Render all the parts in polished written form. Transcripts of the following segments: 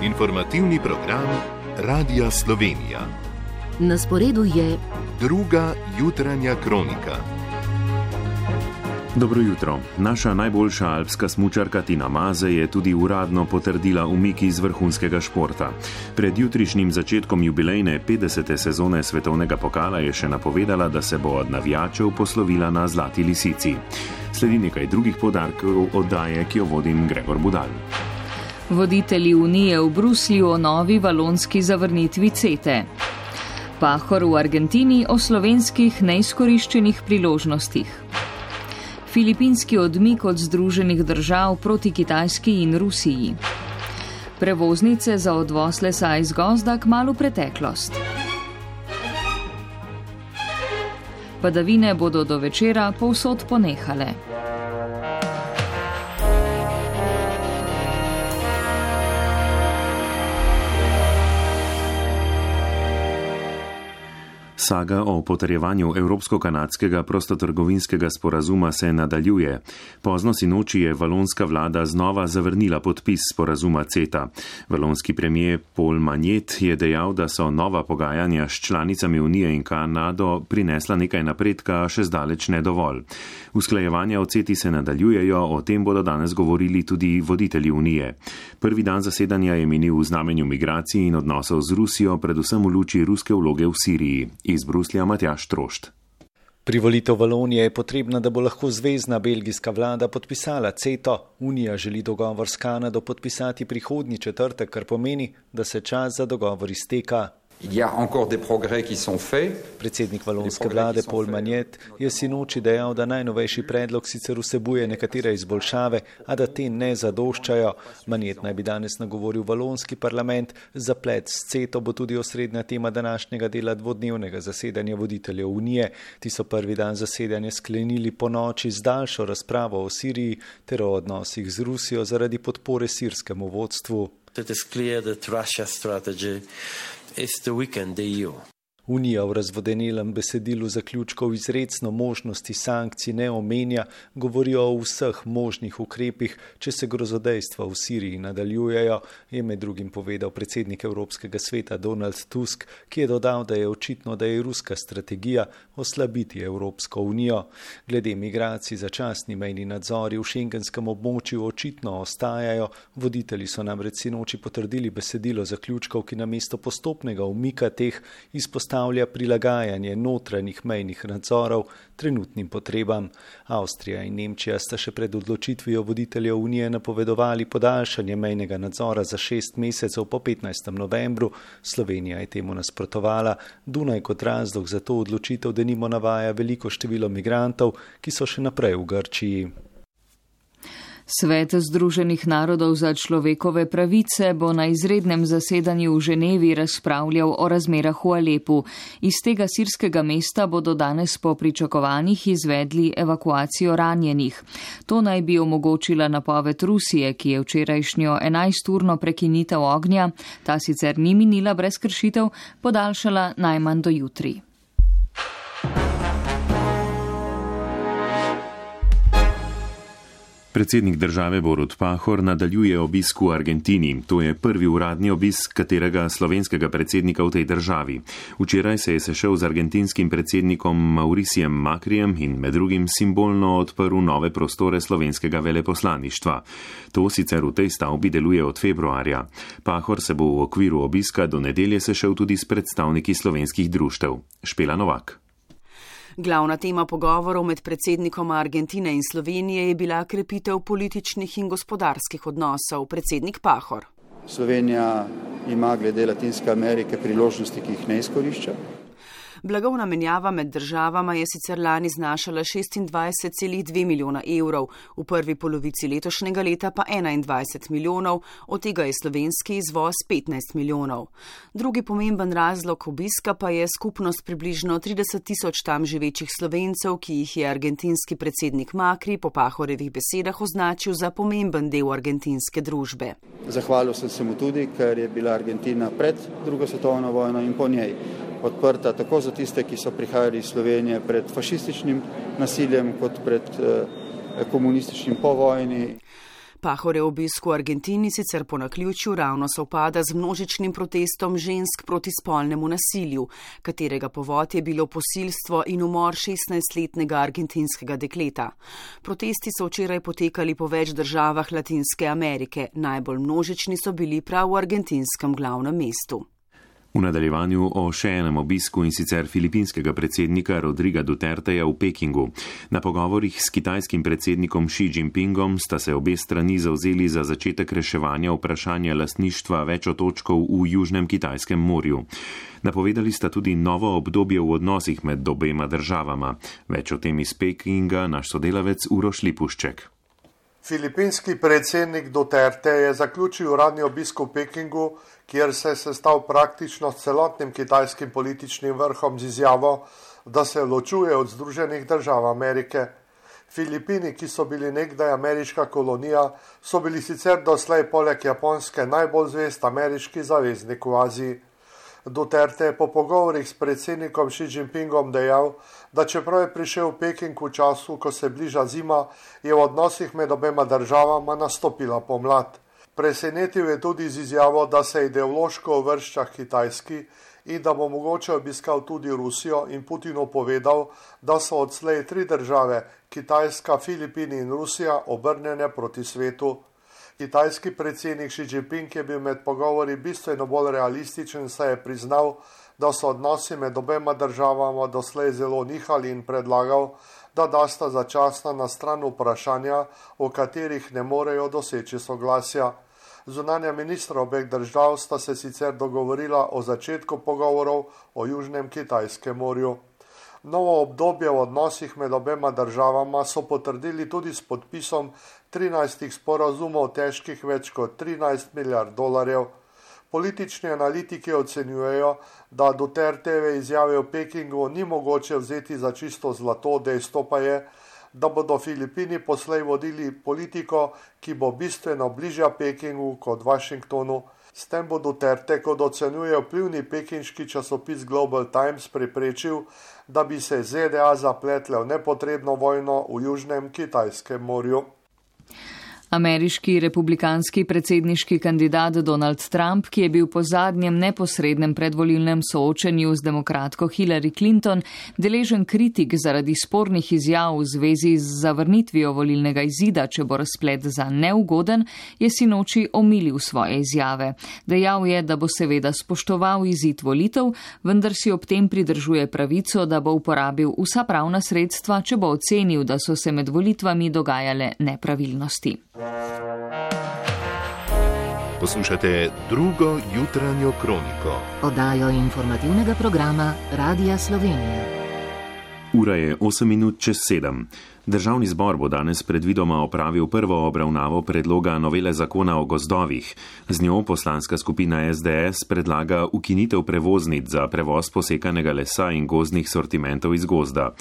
Informativni program Radia Slovenija. Na sporedu je druga jutranja kronika. Dobro jutro. Naša najboljša alpska smučarka Tina Maze je tudi uradno potrdila umik iz vrhunskega športa. Pred jutrišnjim začetkom jubilejne 50. sezone svetovnega pokala je še napovedala, da se bo od navijačev poslovila na Zlati lisici. Sledi nekaj drugih poudarkov oddaje, ki jo vodim Gregor Budal. Voditelji Unije v Bruslju o novi valonski zavrnitvi CETE. Pahor v Argentini o slovenskih neizkoriščenih priložnostih. Filipinski odmik od Združenih držav proti Kitajski in Rusiji. Prevoznice za odvoz lesa iz gozda kmalu preteklost. Padavine bodo do večera povsod ponehale. Saga o potrjevanju evropsko-kanadskega prostotrgovinskega sporazuma se nadaljuje. Pozno sinoči je valonska vlada znova zavrnila podpis sporazuma CETA. Valonski premijer Paul Magnet je dejal, da so nova pogajanja s članicami Unije in Kanado prinesla nekaj napredka, a še zdaleč ne dovolj. Usklajevanja o CETI se nadaljujejo, o tem bodo danes govorili tudi voditelji Unije. Prvi dan zasedanja je minil v znamenju migracij in odnosov z Rusijo, predvsem v luči ruske vloge v Siriji. Iz Bruslja Matjaž Trošt. Privolitev Valonije je potrebna, da bo lahko zvezna belgijska vlada podpisala CETO. Unija želi dogovor s Kanado podpisati prihodnji četrtek, kar pomeni, da se čas za dogovor izteka. Predsednik valonske vlade Paul Magnet je sinoči dejal, da najnovejši predlog sicer vsebuje nekatere izboljšave, a da te ne zadoščajo. Magnet naj bi danes nagovoril valonski parlament. Zaplet s CETO bo tudi osrednja tema današnjega dela dvodnevnega zasedanja voditeljev Unije. Ti so prvi dan zasedanja sklenili po noči z daljšo razpravo o Siriji ter o odnosih z Rusijo zaradi podpore sirskemu vodstvu. Unija v razvodenelem besedilu zaključkov izrecno možnosti sankcij ne omenja, govorijo o vseh možnih ukrepih, če se grozodejstva v Siriji nadaljujejo, je med drugim povedal predsednik Evropskega sveta Donald Tusk, ki je dodal, da je očitno, da je ruska strategija oslabiti Evropsko unijo. Glede migracij začasni mejni nadzori v šengenskem območju očitno ostajajo, voditelji so namreč sinoči potrdili besedilo zaključkov, ki namesto postopnega umika teh izpostavlja prilagajanje notranjih mejnih nadzorov trenutnim potrebam. Avstrija in Nemčija sta še pred odločitvijo voditeljev Unije napovedovali podaljšanje mejnega nadzora za 6 mesecev po 15. novembru. Slovenija je temu nasprotovala. Dunaj kot razlog za to odločitev denimo navaja veliko število migrantov, ki so še naprej v Grčiji. Svet Združenih narodov za človekove pravice bo na izrednem zasedanju v Ženevi razpravljal o razmerah v Alepu. Iz tega sirskega mesta bodo danes po pričakovanjih izvedli evakuacijo ranjenih. To naj bi omogočila napoved Rusije, ki je včerajšnjo 11-urno prekinitev ognja, ta sicer ni minila brez kršitev, podaljšala najmanj do jutri. Predsednik države Borut Pahor nadaljuje obisk v Argentini. To je prvi uradni obisk katerega slovenskega predsednika v tej državi. Včeraj se je sešel z argentinskim predsednikom Mauricijem Macrijem in med drugim simbolno odprl nove prostore slovenskega veleposlaništva. To sicer v tej stavbi deluje od februarja. Pahor se bo v okviru obiska do nedelje sešel tudi s predstavniki slovenskih društev. Špela Novak. Glavna tema pogovorov med predsednikoma Argentine in Slovenije je bila krepitev političnih in gospodarskih odnosov. Predsednik Pahor. Slovenija ima glede Latinske Amerike priložnosti, ki jih ne izkorišča. Blagovna menjava med državama je sicer lani znašala 26,2 milijona evrov, v prvi polovici letošnjega leta pa 21 milijonov, od tega je slovenski izvoz 15 milijonov. Drugi pomemben razlog obiska pa je skupnost približno 30 tisoč tam živečih Slovencev, ki jih je argentinski predsednik Macri po Pahorjevih besedah označil za pomemben del argentinske družbe. Zahvalil sem se mu tudi, ker je bila Argentina pred drugo svetovno vojno in po njej odprta tako za tiste, ki so prihajali iz Slovenije pred fašističnim nasiljem, kot pred komunističnim po vojni. Pahorjev obisk v Argentini sicer po naključju ravno sovpada z množičnim protestom žensk proti spolnemu nasilju, katerega povod je bilo posilstvo in umor 16-letnega argentinskega dekleta. Protesti so včeraj potekali po več državah Latinske Amerike, najbolj množični so bili prav v argentinskem glavnem mestu. V nadaljevanju o še enem obisku in sicer filipinskega predsednika Rodriga Duterteja v Pekingu. Na pogovorih s kitajskim predsednikom Xi Jinpingom sta se obe strani zavzeli za začetek reševanja vprašanja lastništva več otočkov v Južnem Kitajskem morju. Napovedali sta tudi novo obdobje v odnosih med obema državama. Več o tem iz Pekinga naš sodelavec Uroš Lipušček. Filipinski predsednik Duterte je zaključil uradni obisk v Pekingu, kjer se je sestal praktično s celotnim kitajskim političnim vrhom z izjavo, da se ločuje od Združenih držav Amerike. Filipini, ki so bili nekdaj ameriška kolonija, so bili sicer doslej poleg Japonske najbolj zvest ameriški zaveznik v Aziji. Duterte je po pogovorih s predsednikom Xi Jinpingom dejal, da čeprav je prišel v Peking v času, ko se bliža zima, je v odnosih med obema državama nastopila pomlad. Presenetil je tudi z izjavo, da se ideološko uvršča Kitajski in da bo mogoče obiskal tudi Rusijo in Putinu povedal, da so odslej 3 države, Kitajska, Filipini in Rusija, obrnjene proti svetu. Kitajski predsednik Xi Jinping je bil med pogovori bistveno bolj realističen, saj je priznal, da so odnosi med obema državama doslej zelo nihali in predlagal, da dasta začasna na stran vprašanja, o katerih ne morejo doseči soglasja. Zunanja ministra obeh držav sta se sicer dogovorila o začetku pogovorov o Južnem Kitajskem morju. Novo obdobje v odnosih med obema državama so potrdili tudi s podpisom 13 sporazumov težkih več kot 13 milijard dolarjev. Politični analitiki ocenjujejo, da Duterteve izjave v Pekingu ni mogoče vzeti za čisto zlato, dejstvo pa je, da bodo Filipini poslej vodili politiko, ki bo bistveno bližja Pekingu kot Washingtonu. S tem bo Duterte, kot ocenjuje vplivni pekinški časopis Global Times, preprečil, da bi se ZDA zapletle v nepotrebno vojno v Južnem Kitajskem morju. Ameriški republikanski predsedniški kandidat Donald Trump, ki je bil po zadnjem neposrednem predvolilnem soočenju z demokratko Hillary Clinton deležen kritik zaradi spornih izjav v zvezi z zavrnitvijo volilnega izida, če bo razplet za neugoden, je sinoči omilil svoje izjave. Dejal je, da bo seveda spoštoval izid volitev, vendar si ob tem pridržuje pravico, da bo uporabil vsa pravna sredstva, če bo ocenil, da so se med volitvami dogajale nepravilnosti. Poslušate drugo jutranjo kroniko. Oddajo informativnega programa Radia Slovenija. Ura je 8:07. Državni zbor bo danes predvidoma opravil prvo obravnavo predloga novele zakona o gozdovih. Z njo poslanska skupina SDS predlaga ukinitev prevoznic za prevoz posekanega lesa in gozdnih sortimentov iz gozda.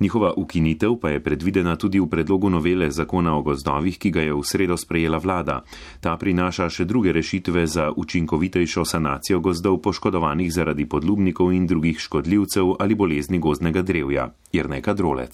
Njihova ukinitev pa je predvidena tudi v predlogu novele zakona o gozdovih, ki ga je v sredo sprejela vlada. Ta prinaša še druge rešitve za učinkovitejšo sanacijo gozdov poškodovanih zaradi podlubnikov in drugih škodljivcev ali bolezni gozdnega drevja. Jerneka Drolec.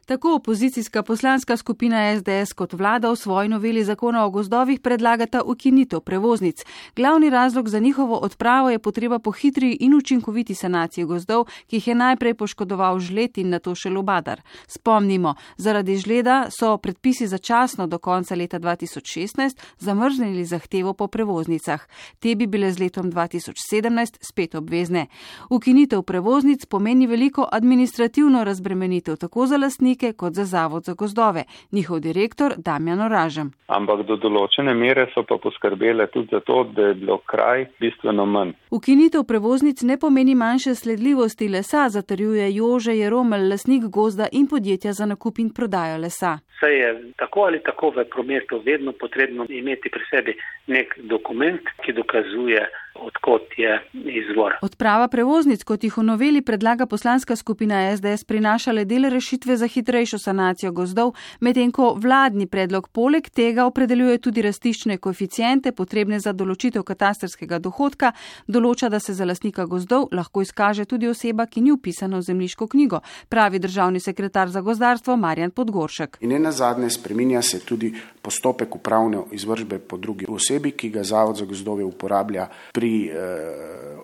Tako opozicijska poslanska skupina SDS kot vlada v svoji noveli zakona o gozdovih predlagata ukinitev prevoznic. Glavni razlog za njihovo odpravo je potreba po hitri in učinkoviti sanaciji gozdov, ki jih je najprej poškodoval žled in nato še lubadar. Spomnimo, zaradi žleda so predpisi začasno do konca leta 2016 zamrznili zahtevo po prevoznicah. Te bi bile z letom 2017 spet obvezne. Ukinitev prevoznic pomeni veliko administrativno razbremenitev tako za lastnike kot za Zavod za gozdove. Njihov direktor Damjan Oražem. Ampak do določene mere so pa poskrbele tudi za to, da je bilo kraj bistveno manj. Ukinitev prevoznic ne pomeni manjše sledljivosti lesa, zatrjuje Jože Jeromelj, lastnik gozda in podjetja za nakup in prodajo lesa. Saj je tako ali tako v prometu vedno potrebno imeti pri sebi nek dokument, ki dokazuje odkot je izvor. Odprava prevoznic, kot jih v noveli predlaga poslanska skupina SDS, prinaša le del rešitve za hitrejšo sanacijo gozdov, medtem ko vladni predlog poleg tega opredeljuje tudi rastiščne koeficiente, potrebne za določitev katastrskega dohodka, določa, da se za lastnika gozdov lahko izkaže tudi oseba, ki ni vpisana v zemljiško knjigo, pravi državni sekretar za gozdarstvo Marjan Podgoršek. In nenazadnje spreminja se tudi postopek upravne izvršbe po drugi osebi, ki ga Zavod za gozdove uporablja pri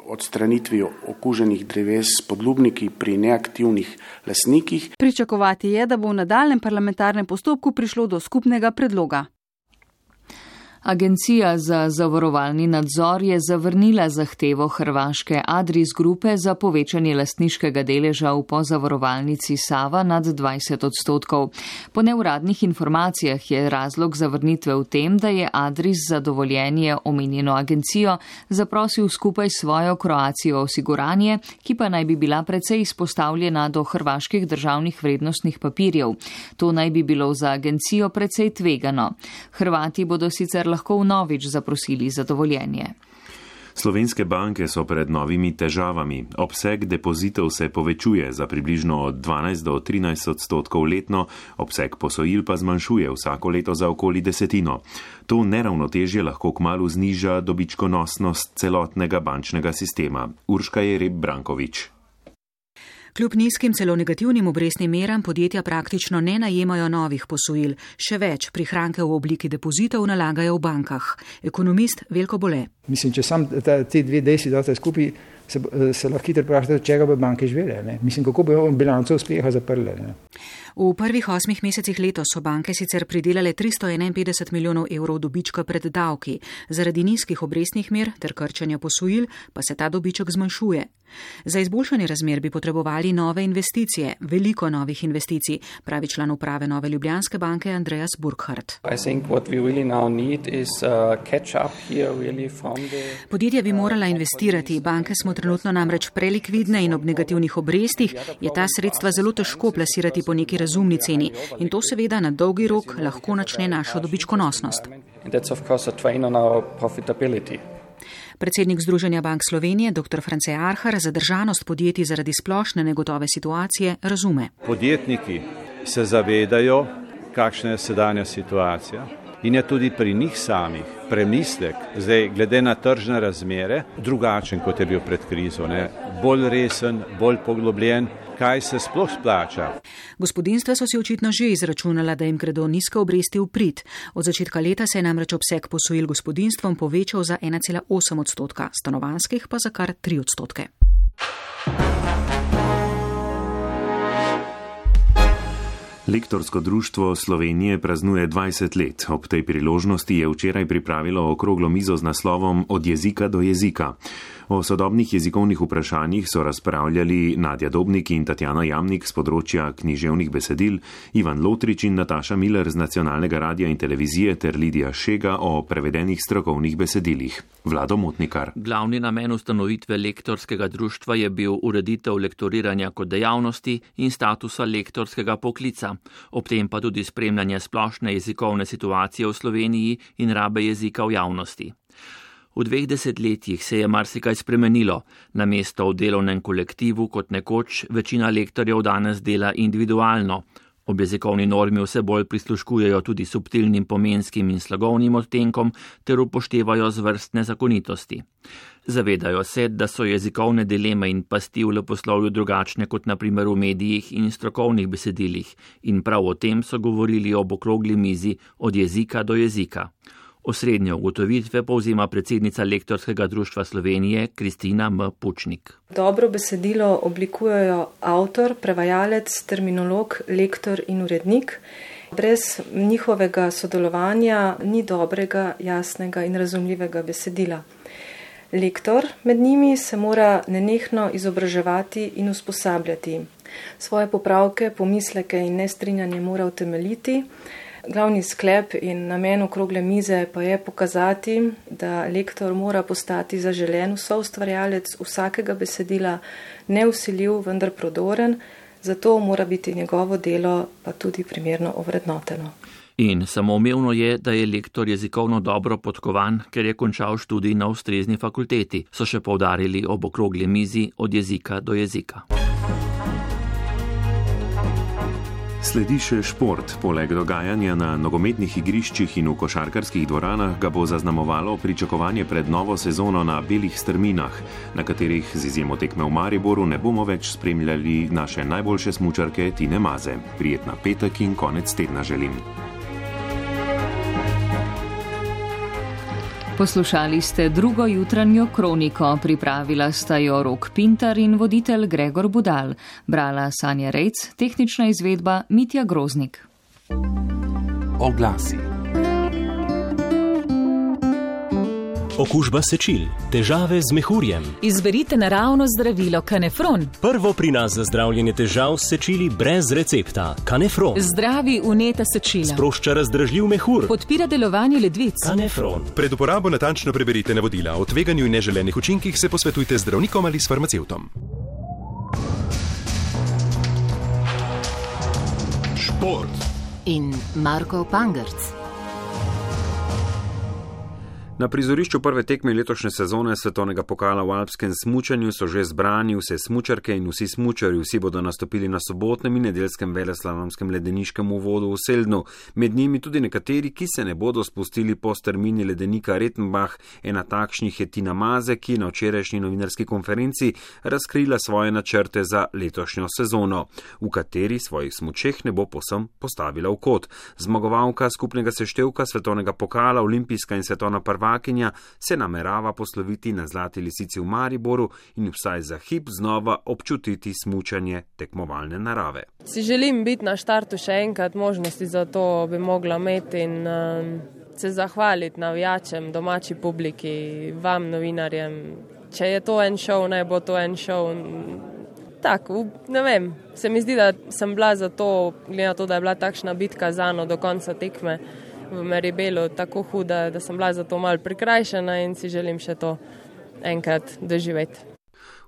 odstranitvi okuženih dreves s podlubniki pri neaktivnih lastnikih. Pričakovati je, da bo v nadaljnjem parlamentarnem postopku prišlo do skupnega predloga. Agencija za zavarovalni nadzor je zavrnila zahtevo hrvaške Adris Grupe za povečanje lastniškega deleža v pozavarovalnici Sava nad 20%. Po neuradnih informacijah je razlog zavrnitve v tem, da je Adris za dovoljenje omenjeno agencijo zaprosil skupaj s svojo Kroacijo osiguranje, ki pa naj bi bila precej izpostavljena do hrvaških državnih vrednostnih papirjev. To naj bi bilo za agencijo precej tvegano. Hrvati bodo sicer lahko vnovič zaprosili za dovoljenje. Slovenske banke so pred novimi težavami. Obseg depozitov se povečuje za približno od 12 do 13% letno, obseg posojil pa zmanjšuje vsako leto za okoli 10%. To neravnotežje lahko kmalu zniža dobičkonosnost celotnega bančnega sistema. Urška Jereb Brankovič. Kljub nizkim, celo negativnim obrestnim meram podjetja praktično ne najemajo novih posojil. Še več, prihranke v obliki depozitov nalagajo v bankah. Ekonomist Veljko Bole. Mislim, če sam ti dve dejstvi date skupaj, se lahko hitro vprašate, od čega bi banke živele. Mislim, kako bi bilanco uspeha zaprle. Ne? V prvih 8 mesecih letos so banke sicer pridelale 351 milijonov evrov dobička pred davki. Zaradi nizkih obrestnih mer ter krčanja posojil pa se ta dobiček zmanjšuje. Za izboljšanje razmer bi potrebovali nove investicije, veliko novih investicij, pravi član uprave Nove Ljubljanske banke Andreas Burkhardt. Podjetja bi morala investirati, banke smo trenutno namreč prelikvidne in ob negativnih obrestih je ta sredstva zelo težko plasirati po neki razumni ceni in to seveda na dolgi rok lahko načne našo dobičkonosnost. Predsednik Združenja bank Slovenije, dr. France Arhar, zadržanost podjetij zaradi splošne negotove situacije razume. Podjetniki se zavedajo, kakšna je sedanja situacija in je tudi pri njih samih premislek, zdaj glede na tržne razmere, drugačen kot je bil pred krizo, ne? Bolj resen, bolj poglobljen, kaj se sploh splača. Gospodinjstva so si očitno že izračunala, da jim gredo nizke obresti v prid. Od začetka leta se je namreč obseg posojil gospodinjstvom povečal za 1,8%, stanovanjskih pa za kar 3%. Lektorsko društvo Slovenije praznuje 20 let. Ob tej priložnosti je včeraj pripravilo okroglo mizo z naslovom Od jezika do jezika. O sodobnih jezikovnih vprašanjih so razpravljali Nadja Dobnik in Tatjana Jamnik z področja književnih besedil, Ivan Lotrič in Nataša Miller z Nacionalnega radia in televizije ter Lidija Šega o prevedenih strokovnih besedilih. Vlado Motnikar. Glavni namen ustanovitve lektorskega društva je bil ureditev lektoriranja kot dejavnosti in statusa lektorskega poklica, ob tem pa tudi spremljanje splošne jezikovne situacije v Sloveniji in rabe jezika v javnosti. V 2 desetletjih se je marsikaj spremenilo. Namesto v delovnem kolektivu kot nekoč večina lektorjev danes dela individualno. Ob jezikovni normi vse bolj prisluškujejo tudi subtilnim pomenskim in slagovnim odtenkom ter upoštevajo zvrstne zakonitosti. Zavedajo se, da so jezikovne dileme in pasti v leposlovju drugačne kot na primer v medijih in strokovnih besedilih in prav o tem so govorili ob okrogli mizi Od jezika do jezika. Osrednje ugotovitve povzema predsednica Lektorskega društva Slovenije Kristina M. Pučnik. Dobro besedilo oblikujejo avtor, prevajalec, terminolog, lektor in urednik. Brez njihovega sodelovanja ni dobrega, jasnega in razumljivega besedila. Lektor med njimi se mora nenehno izobraževati in usposabljati. Svoje popravke, pomisleke in nestrinjanje mora utemeljiti. Glavni sklep in namen okrogle mize pa je pokazati, da lektor mora postati zaželen soustvarjalec vsakega besedila, nevsiljiv, vendar prodoren, zato mora biti njegovo delo pa tudi primerno ovrednoteno. In samoumevno je, da je lektor jezikovno dobro podkovan, ker je končal študij na ustrezni fakulteti, so še poudarili ob okrogli mizi Od jezika do jezika. Sledi še šport. Poleg dogajanja na nogometnih igriščih in v košarkarskih dvoranah ga bo zaznamovalo pričakovanje pred novo sezono na belih strminah, na katerih z izjemo tekme v Mariboru ne bomo več spremljali naše najboljše smučarke Tine Maze. Prijetna petek in konec tedna želim. Poslušali ste drugo jutranjo kroniko, pripravila sta jo Rok Pintar in voditelj Gregor Budal. Brala Sanja Rejc, tehnična izvedba Mitja Groznik. Oglasi. Okužba sečil, težave z mehurjem. Izberite naravno zdravilo Kanefron. Prvo pri nas za zdravljenje težav s sečili brez recepta. Kanefron. Zdravi vneta sečila. Sprošča razdražljiv mehur. Podpira delovanje ledvic. Kanefron. Pred uporabo natančno preberite navodila. O tveganju in neželenih učinkih se posvetujte z zdravnikom ali s farmacevtom. Šport. In Marko Pangerc. Na prizorišču prve tekme letošnje sezone svetovnega pokala v alpskem smučanju so že zbrani vse smučarke in vsi smučarji. Vsi bodo nastopili na sobotnem in nedeljskem veleslalomskem ledeniškem uvodu v Seldnu. Med njimi tudi nekateri, ki se ne bodo spustili po strmini ledenika Rettenbach. Ena takšnih je Tina Maze, ki je na včerajšnji novinarski konferenci razkrila svoje načrte za letošnjo sezono, v kateri svojih smučeh ne bo povsem postavila v kot. Zmagovalka skupnega seštevka svetovnega pokala, olimpijska in svetovna prvakinja se namerava posloviti na Zlati lisici v Mariboru in vsaj za hip znova občutiti smučanje tekmovalne narave. Si želim biti na štartu še enkrat, možnosti za to bi mogla imeti in se zahvaliti navijačem, domači publiki, vam novinarjem. Če je to en šov, naj bo to en šov. Tako, ne vem, se mi zdi, da sem bila za to, glede na to, da je bila takšna bitka za mano do konca tekme v Meribelu tako huda, da sem bila za to malo prikrajšana in si želim še to enkrat doživeti.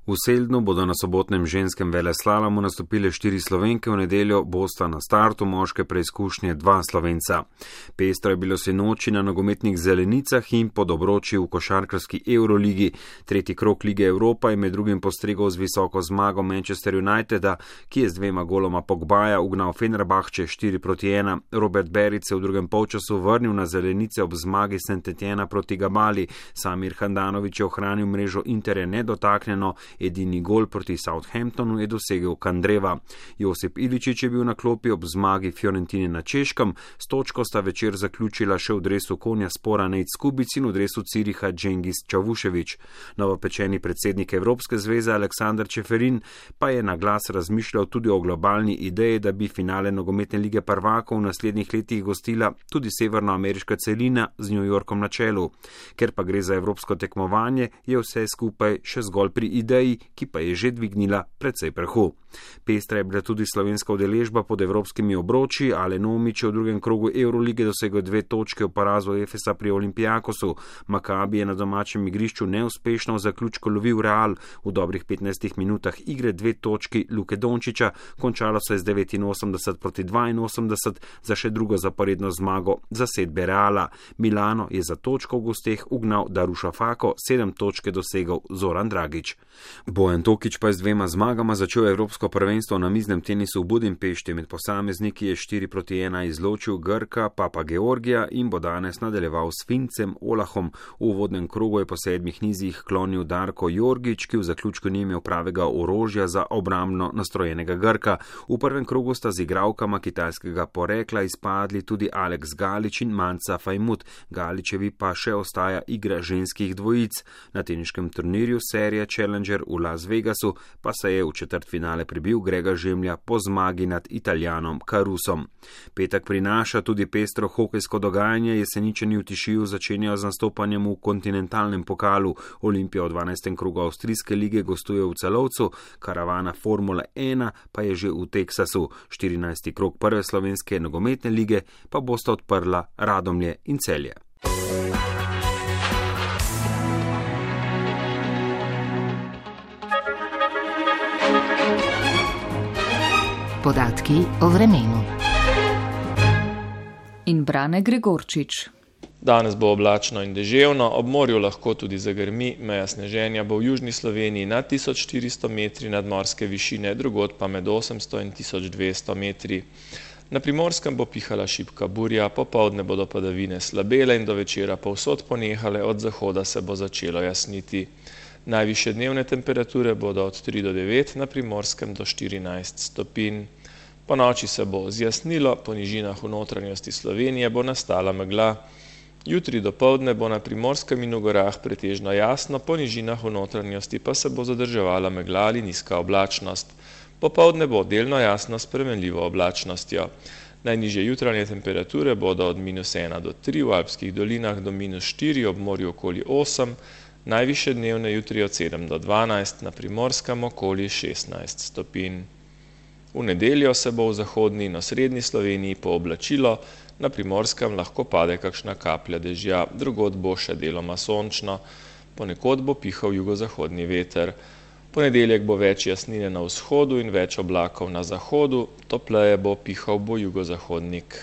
V Seldnu bodo na sobotnem ženskem veleslalomu nastopile 4 Slovenke, v nedeljo bosta na startu moške preizkušnje 2 Slovenca. Pestro je bilo sinoči na nogometnih zelenicah in pod obroči v košarkarski Euroligi. Tretji krog Lige Evropa je med drugim postregel z visoko zmago Manchester Uniteda, ki je z 2 goloma Pogbaja ugnal Fenerbahče 4-1. Robert Beric se v drugem polčasu vrnil na zelenice ob zmagi Saint-Etienne proti Gabali. Samir Handanović je ohranil mrežo Interja nedotaknjeno. Edini gol proti Southamptonu je dosegel Kandreva. Josip Iličić je bil na klopi ob zmagi Fiorentine na Češkem. S točko sta večer zaključila še v dresu Konja Spora Nejc Skubic in v dresu Ciriha Džengis Čavušević. Novopečeni predsednik Evropske zveze Aleksandar Čeferin pa je na glas razmišljal tudi o globalni ideji, da bi finale nogometne lige prvakov v naslednjih letih gostila tudi severnoameriška celina z New Yorkom na čelu. Ker pa gre za evropsko tekmovanje, je vse skupaj še zgolj pri ideji, ki pa je že dvignila precej prahu. Pestra je bila tudi slovenska udeležba pod evropskimi obroči. Alen Omić je v drugem krogu Eurolige dosegel 2 točke v porazu Efesa pri Olympiakosu. Maccabi je na domačem igrišču neuspešno v zaključku lovil Real. V dobrih 15 minutah igre 2 točki Luke Dončića, končalo se je z 89-82 za še drugo zaporedno zmago zasedbe Reala. Milano je za točko v gosteh ugnal Darušafako, 7 točke dosegel Zoran Dragić. Bojan Tokić pa je z 2 zmagama začel evropsko prvenstvo na miznem tenisu v Budimpešti. Med posamezniki je 4-1 izločil Grka Papa Georgija in bo danes nadaljeval s Fincem Olahom. V uvodnem krogu je po 7 nizih klonil Darko Jorgić, ki v zaključku ni imel pravega orožja za obrambno nastrojenega Grka. V prvem krogu sta z igralkama kitajskega porekla izpadli tudi Alex Galić in Manca Fajmut. Galićevi pa še ostaja igra ženskih dvojic. Na teniškem turnirju serije Challenger v Las Vegasu pa se je v četrtfinale prebil Grega Žemlja po zmagi nad Italijanom Carusom. Petek prinaša tudi pestro hokejsko dogajanje. Jeseničani v Tišiju začenjajo z nastopanjem v kontinentalnem pokalu. Olimpija v 12. krogu avstrijske lige gostuje v Celovcu, karavana Formule 1 pa je že v Teksasu. 14. krog prve slovenske nogometne lige pa bosta odprla Radomlje in Celje. Podatki o vremenu. In Brane Gregorčič. Danes bo oblačno in deževno, ob morju lahko tudi zagrmi, meja sneženja bo v južni Sloveniji nad 1400 metri nadmorske višine, drugod pa med 800 in 1200 metri. Na Primorskem bo pihala šibka burja, popoldne bodo padavine slabele in do večera povsod ponehale, od zahoda se bo začelo jasniti. Najvišje dnevne temperature bodo od 3 do 9, na Primorskem do 14 stopinj. Po noči se bo zjasnilo, po nižinah v notranjosti Slovenije bo nastala megla. Jutri dopoldne bo na Primorskem in v gorah pretežno jasno, po nižinah v notranjosti pa se bo zadrževala megla ali nizka oblačnost. Popoldne bo delno jasno s spremenljivo oblačnostjo. Najnižje jutranje temperature bodo od -1 do 3 v alpskih dolinah do -4 ob morju okoli 8, najvišje dnevne jutri od 7 do 12, na Primorskem okoli 16 stopinj. V nedeljo se bo v zahodni in osrednji Sloveniji pooblačilo, na Primorskem lahko pade kakšna kaplja dežja, drugod bo še deloma sončno, ponekod bo pihal jugozahodni veter. Ponedeljek bo več jasnine na vzhodu in več oblakov na zahodu, topleje bo pihal bo jugozahodnik